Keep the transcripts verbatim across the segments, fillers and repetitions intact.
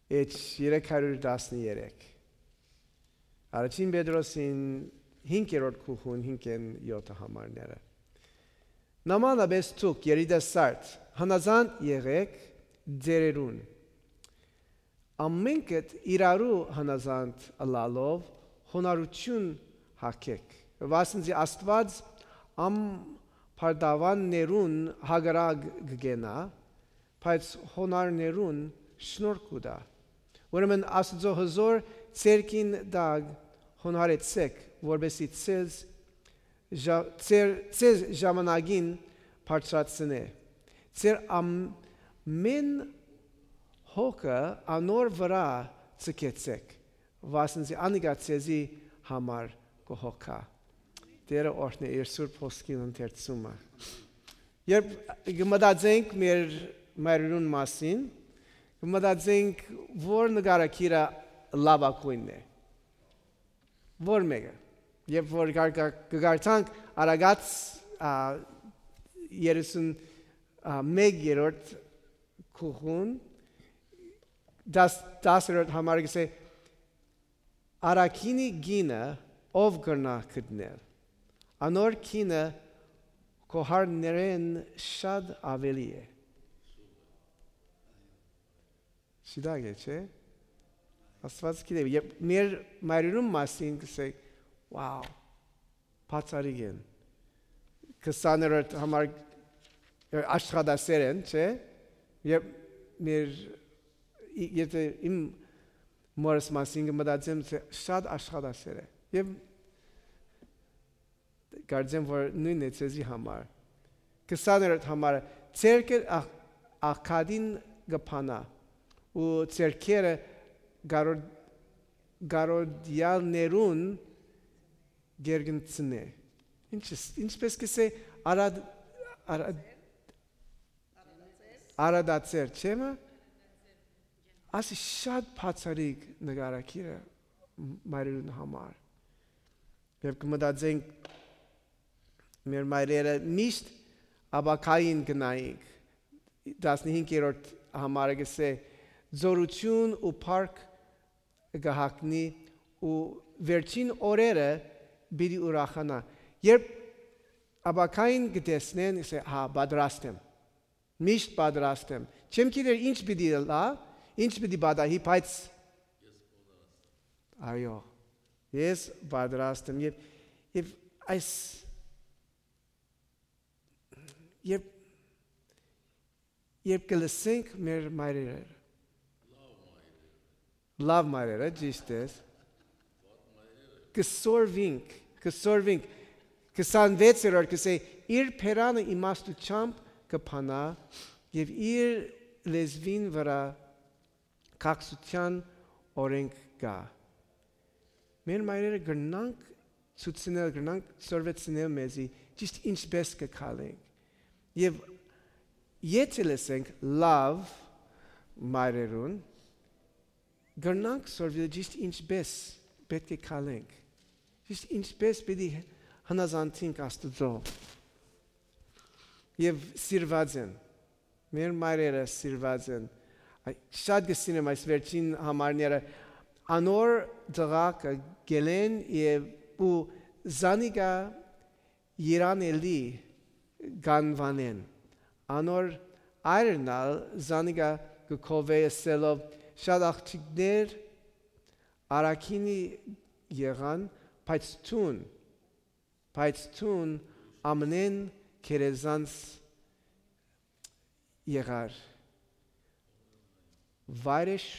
Էջ երեք հարիւր տասներեք։ Առաջին Պետրոսին հինգերորդ գլխուն հինգէն եօթը համարները։ Նամանապէս դուք երիտասարդ, հնազանդ եղէք ձեռերուն։ Ամէնքդ իրարու հնազանդ ըլլալով յոնարութիւն հագէք, վասն զի Աստուած ամբարտաւաններուն հակառակ կը կենայ, բայց յոնարներուն շնորհք կու տայ։ Ուրեմն Աստուծոյ հզօր ձեռքին տակ յոնարեցէք, որպէս զի ձեզ ժա-, ձեր, ձեզ ժամանակին բարձրացնէ։ Ձեր ամէն հոգը անոր վրայ ձգեցէք, վասն զի անիկա ձեզի համար կը հոգայ։ Տէրը օրհնէ իր սուրբ հոսքին ընթերցումը։ Երբ կը մտածենք մեր մայրերուն մասին, կը մտածենք որ նկարագիրը լաւագոյնն է։ Որ մէկը։ Երբ որ կար-, կա-, կը կարդանք Արագած, ա, երեսուն, ա, մէկ երրորդ գլխուն, դաս-, տասերորդ համարը կսէ, «Առաքինի կինը ով կրնայ գտնել։ Անոր կինը գոհարներէն շատ աւելի է»։ Շիտակ է, չէ՞։ Աստուած գիտէ, երբ մեր մայրերուն մասին կսենք, «Wow, բացառիկ են»։ Քսաներորդ համար աշխատասեր են, չէ՞։ Երբ մեր, ի-, եթե իմ մորս մասին կը մտածեմ, շատ աշխատասեր է։ Եւ կարծեմ, որ նոյնն է ձեզի համար։ Քսաներորդ համարը, ձեռքը աղ-, աղքատին կը բանայ ու ձեռքերը կարօ-, կարօտեալներուն կերկնցնէ։ Ինչ, ինչպես կսէ, արատ-, արատ-, արատաձեռ, չէ՞ մը։ Ասի շատ բացառիկ նկարագիրը մայրերուն համար։ Երբ կը մտածենք, մեր մայրերը միշտ ապագային կը նայինք, տասնհինգերորդ համարը կսէ, «Զօրութիւն ու փառք կը հագնի ու վերջին օրերը պիտի ուրախանայ»։ Երբ ապագային կը տեսնեն, կսէ, «Հա, պատրաստ եմ, միշտ պատրաստ եմ»։ Չեմ գիտեր ինչ պիտի ըլլայ, ինչ պիտի պատահի, բայց այո, ես պատրաստ եմ։ Եւ, եւ այս, երբ, երբ կը լսենք մեր մայրերը, լաւ մայրերը, ճիշդ ես, կը սորվինք, կը սորվինք, քսանվեցերորդ կսէ, «Իր բերանը իմաստութեամբ կը բանայ եւ իր լեզուին վրայ քաղցրութեան օրէնք կայ»։ Մեր մայրերը կրնանք ցուցնել, կրնանք սորվեցնել մեզի ճիշդ ինչպես կը քալենք։ Եւ եթե լսենք լաւ մայրերուն, կրնանք սորվել ճիշդ ինչպես պէտք է քալենք, ճիշդ ինչպես պիտի հնազանդենք Աստուծոյ։ Եւ սիրուած են, մեր մայրերը սիրուած են։ Այ, շատ կը սիրեմ այս վերջին համարները։ Անոր տղաքը գելեն եւ ու զանիկա երանելի կ'անուանեն։ Անոր այրն ալ զանիկա կը գովէ ըսելով. «Շատ աղջիկներ առաքինի եղան, բայց դուն, բայց դուն ամենէն գերեզանց եղար»։ Վայրեշ-,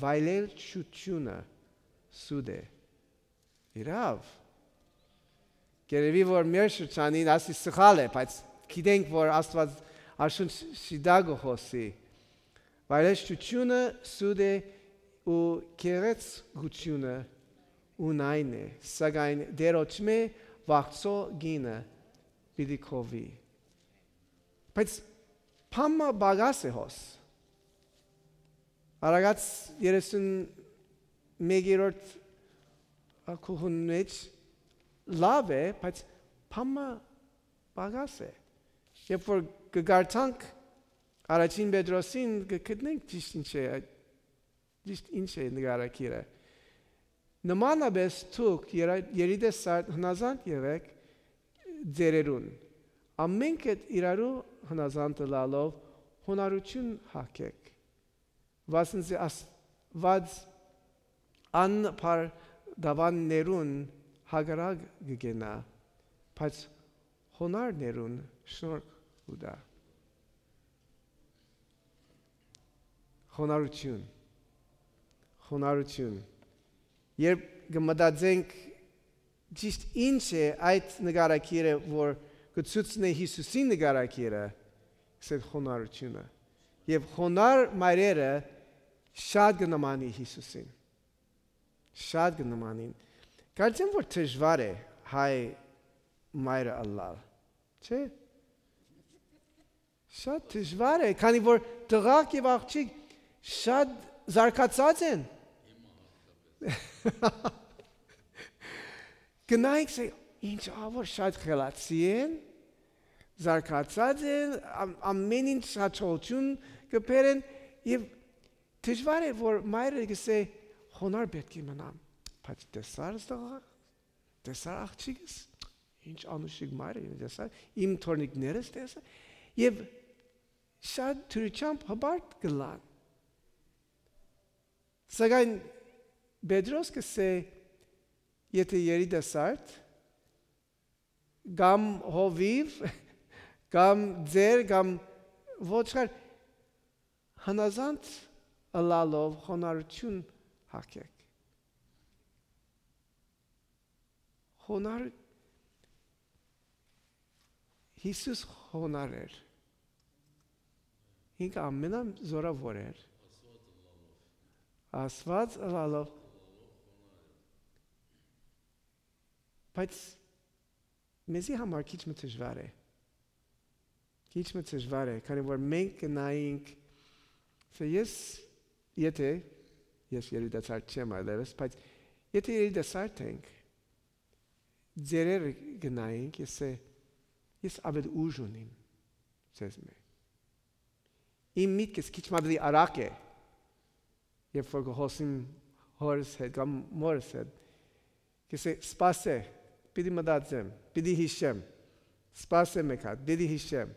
վայելչութիւնը սուտ է։ Իրաւ։ Կ'երեւի որ մեր շրջանին ասի սխալ է, բայց գիտենք որ Աստուած, Արշուն շիտակ կը խօսի։ Վայելչութիւնը սուտ է ու գեղեցկութիւնը ունայն է, սակայն Տէր Օճմէ վաղցոյ կինը պիտի գովի։ Բայց բան մը պակաս է հոս։ Արագած երեսուն մեկերորդ գլխուն մէջ լաւ է, բայց բան մը պակաս է։ Երբ որ կը կարդանք առաջին Պետրոսին, կը գտնենք ճիշդ ինչ է այդ Ճիշդ ինչ է նկարագիրը։ Նմանապէս դուք, երա-, երիտասարդ, հնազանդ եղէք ձերերուն։ Ամէնքդ իրարու հնազանդ ըլալով, յունարութիւն հագէք, վասն զի Աստուած անբարդաւաններուն հակառակ կը կենայ, բայց յունարներուն շնորհք կու տայ։ Խոնարհութիւն։ Խոնարհութիւն։ Երբ կը մտածենք ճիշդ ինչ է այդ նկարագիրը, որ կը ցուցնէ Յիսուսին նկարագիրը, կ'ըսեն խոնարհութիւնը։ Եւ խոնարհ մայրերը շատ կը նմանի Յիսուսին։ Շատ կը նմանին։ Կարծեմ, որ դժուար է հայ մայրը ըլլալ, չէ՞։ Շատ դժուար է, քանի որ տղաք եւ աղջիկ շատ զարգացած են։ Գնայք, սա ինչ ահա որ շատ խելացի են, զարգացած են, ամ-, ամէն ինչ հաջողութիւն կը բերեն, եւ դժուար է, որ մայրը կ'ըսէ, «Խոնարհ պէտք է մնամ»։ Բայց տեսա՞ր, տղա, տեսա՞ր, աղջիկս, ինչ անուշիկ մայր է, տեսա՞ր, իմ թոռնիկներս տեսա, եւ շատ դրությամբ հպարտ կ'ըլլան։ Սակայն Պետրոս կ'ըսէ, եթէ երիտասարդ, կամ հովիւ, կամ ձեր, կամ ոչխար, հնազանդ ըլալով խոնարհութիւն հագէք։ Խոնարհ-, Յիսուս խոնարհ էր։ Ինքը ամենազօրաւոր էր։ Աստուած ըլալով։ Բայց մեզի համար քիչ մը դժուար է։ Քիչ մը դժուար է, քանի որ մենք կը նայենք, սա ես, եթէ, ես երիտասարդ չեմ այլևս, բայց եթէ երիտասարդ ենք, ձերերը կը նայենք, ես է, ես ավել ուժ ունիմ, ձեզ մէ։ Իմ միտքս քիչ մը ավելի արագ է, երբ որ կը հոսիմ հորս հետ կամ մորս հետ, կ'ըսէ, «Սպասէ, պիտի մտածեմ, պիտի յիշեմ, սպասէ մէկ հատ, պիտի յիշեմ»։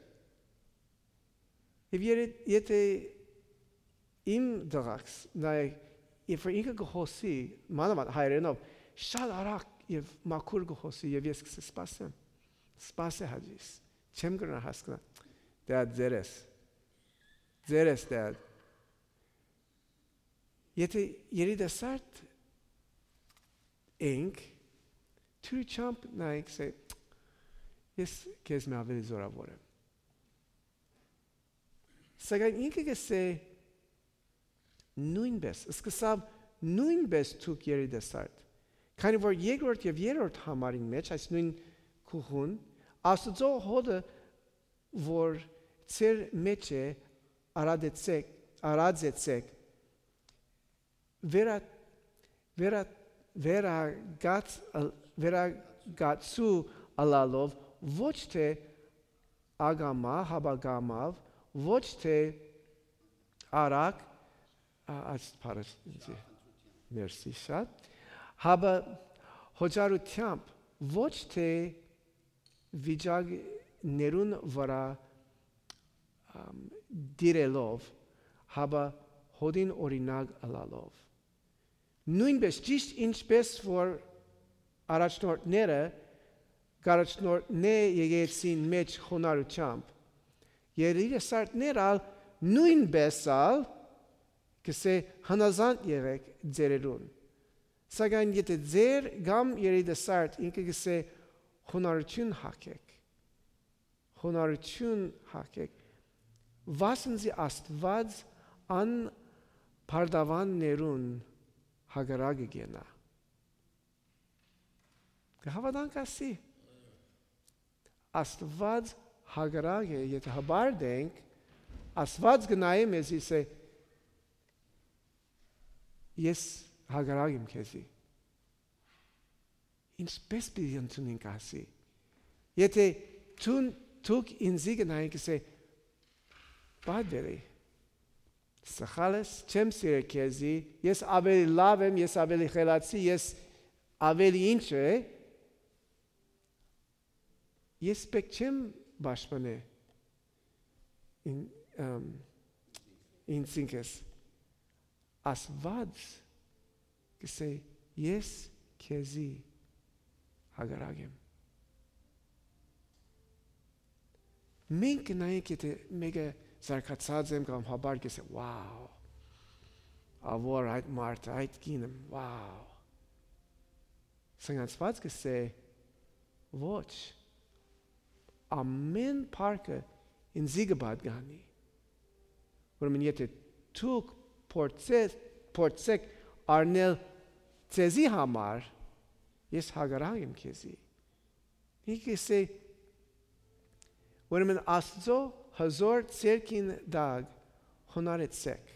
Եւ երեդ-, եթէ իմ դղակս, նայ, երբ որ ինքը կը հոսի, մանավանդ հայերէնով, շատ արագ եւ մաքուր կը հոսի, եւ ես կ'ըսեմ, «Սպասեմ, սպասէ հաճիս, չեմ կրնար հասկնալ»։ Դե ա, ձեր ես, ձեր ես, դե ա։ Եթէ երիտասարդ ենք, դրությամբ նայենք, սա, «Ես քեզ մէ աւելի զօրաւոր եմ»։ Սակայն ինքը կ'ըսէ նոյնպէս, սկսաւ նոյնպէս դուք երիտասարդ, քանի որ երկրորդ եւ երրորդ համարին մէջ, այս նոյն գլխուն, Աստուծոյ հօտը, որ ձեր մէջ է, արածեցէք, արածեցէք, վերա-, վերա-, վերակաց-, վերակացու ըլալով, ոչ թէ ակամայ, հապա կամաւ, ոչ թէ արագ, ա, այս բառը ինձի, մերսի շատ, հապա յոճարութեամբ, ոչ թէ վիճակներուն վրայ, ամ, տիրելով, հապա հօտին օրինակ ըլալով։ Նոյնպէս ճիշդ ինչպէս որ առաջնորդները կ'առաջնորդեն եկեղեցին մէջ խոնարհութեամբ, երիտասարդներ ալ նոյնպէս ալ կ'ըսէ, «Հնազանդ եղէք ձերերուն»։ Սակայն եթէ ձեր կամ երիտասարդ, ինքը կ'ըսէ, «Խոնարհութիւն հագէք»։ Խոնարհութիւն հագէք, վասն զի Աստուած անբարդաւաններուն հակառակը կենայ։ Կը հաւատանք ասի։ Աստուած հակառակ է, եթէ հպարտ ենք, Աստուած կը նայէ մեզի, սէ, «Ես հակառակ եմ քեզի»։ Ինչպէս պիտի ընդունենք ասի։ Եթէ դուն, դուք ինձի կը նայեք, կ'ըսէ, «Պատվելի, Սխալ ես, չեմ սիրել քեզի, ես աւելի լաւ եմ, ես աւելի խելացի, ես աւելի ինչ է, ես պէտք չեմ պաշտպանել ին-, ըմ, ինքզինքս։ Աստուած կ'ըսէ, ես քեզի հակառակ եմ։ Մենք կը նայենք, եթէ մէկը զարգացած եմ կամ հաբար կ'ըսէ, wow, ավոր այդ մարդը, այդ կինը, wow։ Սակայն Աստուած կ'ըսէ, ոչ, ամէն փառքը ինծի կը պատկանի։ Ուրեմն եթէ դուք փորձե-, փորձեք առնել ձեզի համար, ես հակառակ եմ քեզի։ Ինքը կ'ըսէ, ուրեմն Աստուծոյ հզոր ձեռքին տակ խոնարհեցէք,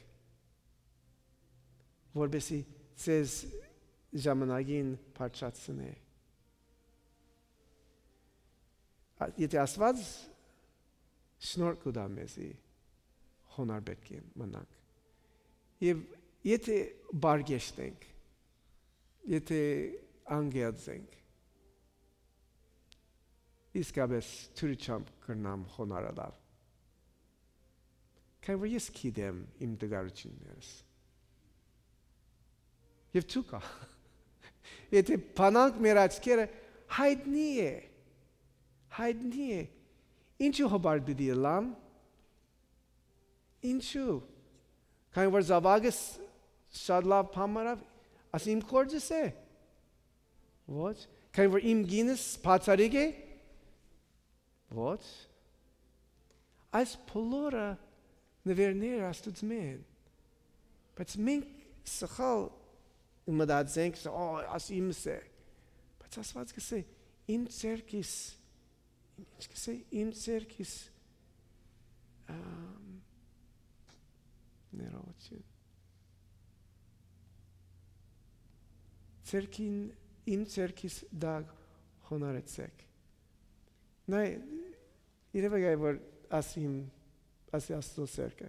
որպեսզի ձեզ ժամանակին բարձրացնէ։ Ա-, եթէ Աստուած շնորհք կու տայ մեզի, խոնարհ պէտք է մնանք։ Եւ եթէ պարկեշտ ենք, եթէ անգերձ ենք, իսկապէս դուռը չեմ կրնամ խոնարհ ըլլալ։ Քանի որ ես գիտեմ իմ տկարութիւններս։ Եւ դուք ա։ Եթէ բանանք մեր աչքերը, յայտնի է։ Յայտնի է։ Ինչու հպարտ պիտի ըլլամ։ Ինչու։ Քանի որ զաւակս շատ լաւ բան մրաւ, ասի իմ գործս է։ Ոչ։ Քանի որ իմ կինս բացառիկ է։ Ոչ։ Այս բոլորը նուէրներ Աստուծմէ են։ Բայց մենք սխալ մտածենք, «Ա, աս իմս է»։ Բայց Աստուած կ'ըսէ, «Իմ ձեռքիս», ինչ կ'ըսէ, «Իմ ձեռքիս», ամ, ներողություն։ Ձեռքին, իմ ձեռքիս տակ խոնարհեցէք։ Նայ, երևի գայ որ ասի իմ, ասի Աստծո սերկը։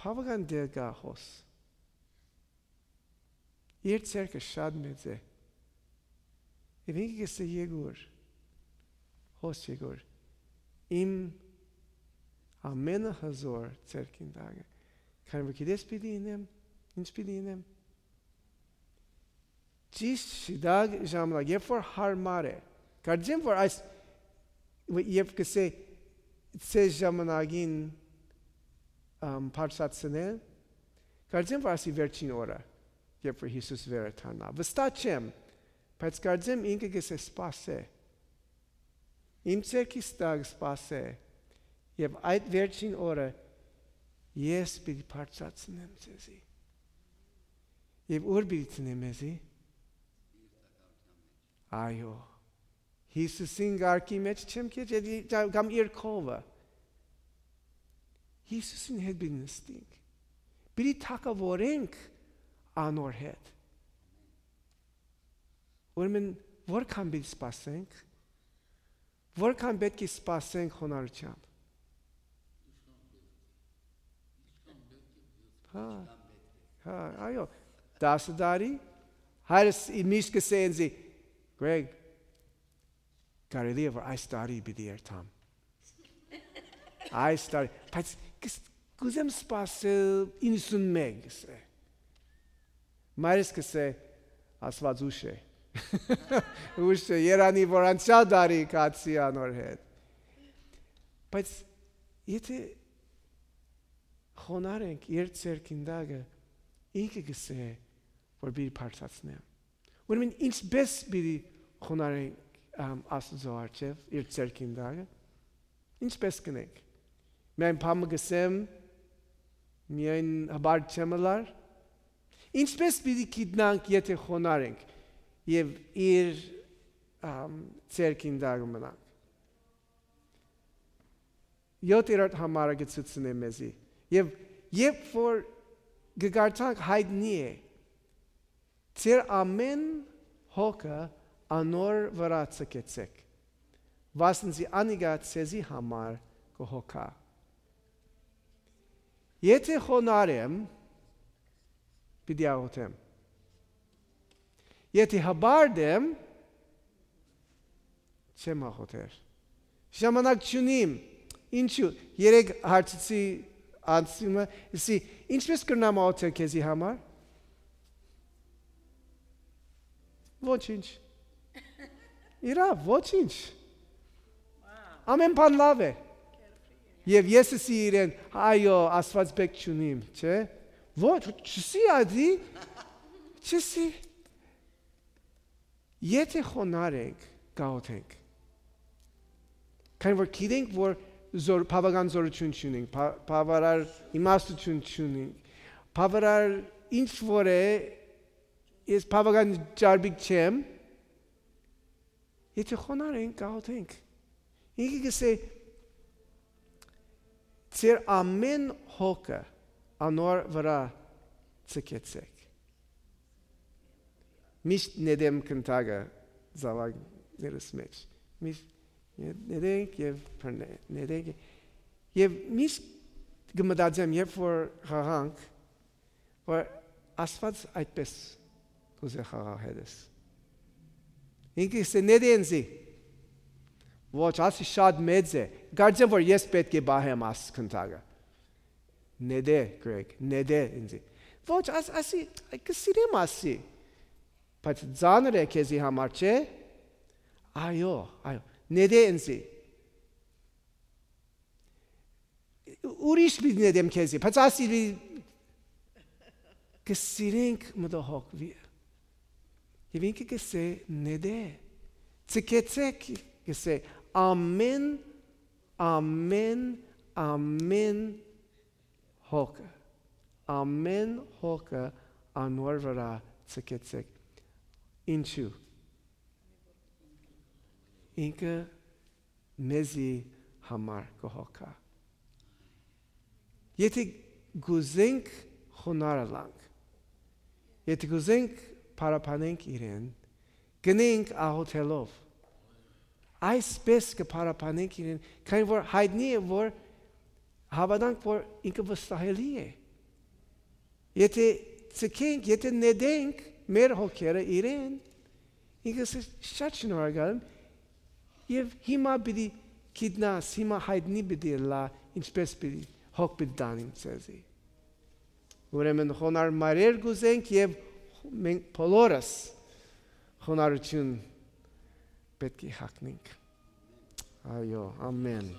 Բավական դեր կայ հոս։ Իր սերկը շատ մեծ է։ Եւ ինքը կ'ըսէ, «Եկուր, հոս եկուր, իմ ամենահզոր սերկին տակը, քանի որ գիտես պիտի ինեմ, ինչ պիտի ինեմ»։ Ճիշտ շիտակ ժամանակ, երբ որ յարմար է։ Կարծեմ, որ այս, երբ կ'ըսէ, «Ձեզ ժամանակին, ամ, բարձրացնել», կարծեմ, որ ասի վերջին օրը, երբ որ Յիսուս վերադառնայ։ Վստահ չեմ, բայց կարծեմ ինքը կ'ըսէ, «Սպասէ»։ Իմ ձեռքիս տակ սպասէ, եւ այդ վերջին օրը ես պիտի բարձրացնեմ ձեզի։ Եւ ո՞ւր պիտի դնեմ մեզի։ Այո, Յիսուսին կարգի մեջ չեմ քեջ, կամ իր քովը։ Յիսուսին հետ պիտի նստենք։ Պիտի թագաւորենք անոր հետ։ Ուրեմն, որքան պիտի սպասենք, որքան պէտք է սպասենք խոնարհութեան։ Հա, հա, այո, տասը տարի, հայրս միշտ կ'ըսէ ինձի, «Գրեգ, կարելի է որ այս տարի պիտի երթամ»։ Այս տարի, բայց կս-, կ'ուզեմ սպասել իննսունմեկ, կ'ըսէ։ Մայրս կ'ըսէ, «Աստուած ուշ է»։ Ուշ է, երանի որ անցյալ տարի կացի անոր հետ։ Բայց եթէ խոնարհ ենք իր ձեռքին տակը, ինքը կ'ըսէ, որ պիտի բարձրացնեմ։ Ուրեմն ինչպե՞ս պիտի խոնարհենք, ամ, Աստուծոյ առջեւ, իր ձեռքին տակը։ Ինչպե՞ս կ'ընենք։ Միայն բան մը կ'ըսեմ, միայն հպարտ չեմ ըլլար։ Ինչպե՞ս պիտի գիտնանք, եթէ խոնարհ ենք եւ իր, ամ, ձեռքին տակը մնանք։ Յոթերորդ համարը կը ցուցնէ մեզի։ Եւ երբ որ կը կարդանք, յայտնի է, «Ձեր ամէն հոգը անոր վրայ ձգեցէք, վասն զի անիկա ձեզի համար կը հոգայ»։ Եթէ խոնարհ եմ, պիտի աղօթեմ։ Եթէ հպարտ եմ, չեմ աղօթեր։ Ժամանակ չունիմ։ Ինչու՞։ Երեկ հարցուցի անցումը, ասի, ինչպես կրնամ աղօթել քեզի համար։ Ոչինչ։ Իրաւ, ոչինչ։ Ամեն բան լաւ է։ Եւ ես ասի իրեն, այո, Աստուած բեք չունիմ, չէ՞։ Ոչ, չսի ադի, չսի։ Եթէ խոնարհ ենք, կաղօթենք։ Քանի որ գիտենք, որ զոր-, բաւական զորութիւն չունենք, բա-, բաւարար իմաստութիւն չունենք, բաւարար ինչ որ է, ես բաւական ճարպիկ չեմ, եթէ խոնարհ ենք, կաղօթենք։ Ինքը կսե, ձեր ամեն հոգը անոր վրա ձգեցեք։ Միշտ նետեմ գնդակը զաւակներս մէջ։ Միշտ նետենք եւ բռնենք, նետենք եւ միշտ կը մտածեմ, երբ որ խաղանք, որ Աստուած այդպես կ'ուզէ խաղալ հետս։ Ինքը կ'ըսէ, նետէ ինծի։ Ոչ, ասի շատ մեծ է։ Կարծեմ, որ ես պէտք է պահեմ աս գնդակը։ Նետէ, Գրեգ, նետէ ինծի։ Ոչ, աս-, ասի, կը սիրեմ, ասի։ Բայց ծանր է քեզի համար, չէ՞։ Այո, այո, նետէ ինծի։ Ուրիշ պիտի նետեմ քեզի, բայց ասի, կը սիրենք մտահոգ վի-, եւ ինքը կ'ըսէ, նետէ, ձգեցեք, կ'ըսէ, ամեն, ամեն, ամեն հոգը, ամեն հոգը անոր վրա ձգեցեք։ Ինչու՞։ Ինքը մեզի համար կը հոգայ։ Եթէ կ'ուզենք խոնարհ ըլլանք, եթէ կ'ուզենք փառաբանենք իրեն, գնենք աղօթելով։ Այսպես կը փառաբանենք իրեն, քանի որ յայտնի է, որ հաւատանք, որ ինքը վստահելի է։ Եթէ ձգենք, եթէ նետենք մեր հոգերը իրեն, ինքը կ'ըսէ, շատ շնորհակալ եմ, եւ հիմա պիտի գիտնաս, հիմա յայտնի պիտի ըլլայ, ինչպես պիտի, հոգ պիտի տանիմ ձեզի։ Ուրեմն խոնարհ մայրեր կ'ուզենք եւ մենք բոլորս խոնարհութիւն պէտք է յագնենք։ Այո, ամեն։